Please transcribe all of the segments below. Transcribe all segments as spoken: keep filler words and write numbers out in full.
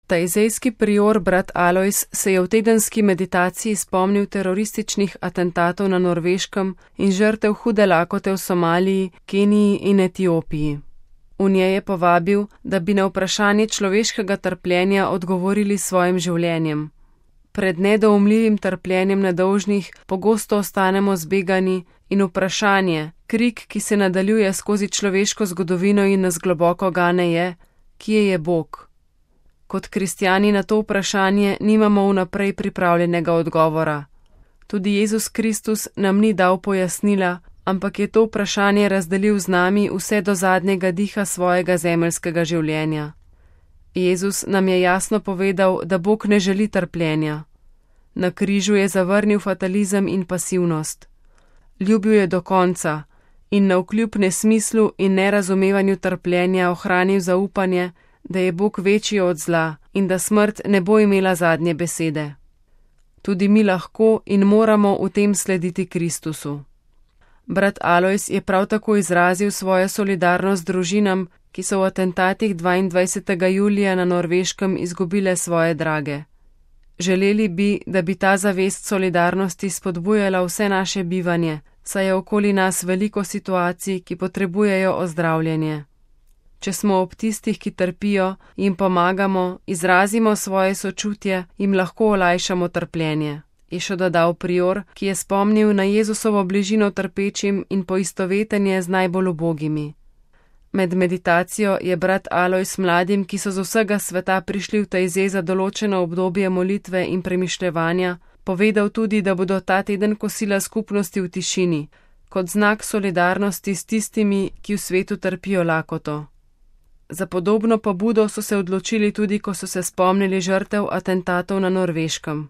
Tajzejski prior brat Alojz se je v tedenski meditaciji spomnil terorističnih atentatov na Norveškem in žrtev hude lakote v Somaliji, Keniji in Etiopiji. V njej je povabil, da bi na vprašanje človeškega trpljenja odgovorili s svojim življenjem. Pred nedoumljivim trpljenjem nedolžnih pogosto ostanemo zbegani in vprašanje, krik, ki se nadaljuje skozi človeško zgodovino in nas globoko gane je, kje je Bog? Kot kristjani na to vprašanje nimamo vnaprej pripravljenega odgovora. Tudi Jezus Kristus nam ni dal pojasnila, ampak je to vprašanje razdelil z nami vse do zadnjega diha svojega zemeljskega življenja. Jezus nam je jasno povedal, da Bog ne želi trpljenja. Na križu je zavrnil fatalizem in pasivnost. Ljubil je do konca in navkljub nesmislu in nerazumevanju trpljenja ohranil zaupanje, da je Bog večji od zla in da smrt ne bo imela zadnje besede. Tudi mi lahko in moramo v tem slediti Kristusu. Brat Alojz je prav tako izrazil svojo solidarnost družinam, ki so v atentatih dvaindvajsetega julija na Norveškem izgubile svoje drage. Želeli bi, da bi ta zavest solidarnosti spodbujala vse naše bivanje, saj je okoli nas veliko situacij, ki potrebujejo ozdravljenje. Če smo ob tistih, ki trpijo, jim pomagamo, izrazimo svoje sočutje, jim lahko olajšamo trpljenje, je še dodal prior, ki je spomnil na Jezusovo bližino trpečim in poistovetenje z najbolj ubogimi. Med meditacijo je brat Alojz mladim, ki so z vsega sveta prišli v Tajze za določeno obdobje molitve in premišljevanja, povedal tudi, da bodo ta teden kosila skupnosti v tišini, kot znak solidarnosti s tistimi, ki v svetu trpijo lakoto. Za podobno pobudo so se odločili tudi, ko so se spomnili žrtev atentatov na Norveškem.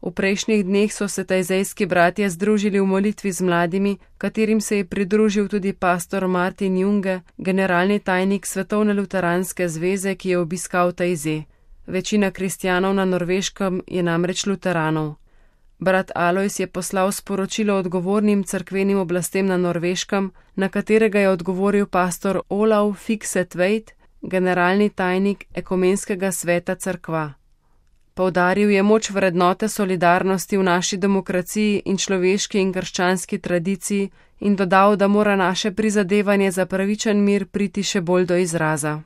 V prejšnjih dneh so se tajzejski bratje združili v molitvi z mladimi, katerim se je pridružil tudi pastor Martin Junge, generalni tajnik Svetovne luteranske zveze, ki je obiskal Tajze. Večina kristjanov na Norveškem je namreč luteranov. Brat Alojz je poslal sporočilo odgovornim cerkvenim oblastem na Norveškem, na katerega je odgovoril pastor Olav Fiksetveit, generalni tajnik Ekumenskega sveta cerkva. Poudaril je moč vrednote solidarnosti v naši demokraciji in človeški in krščanski tradiciji in dodal, da mora naše prizadevanje za pravičen mir priti še bolj do izraza.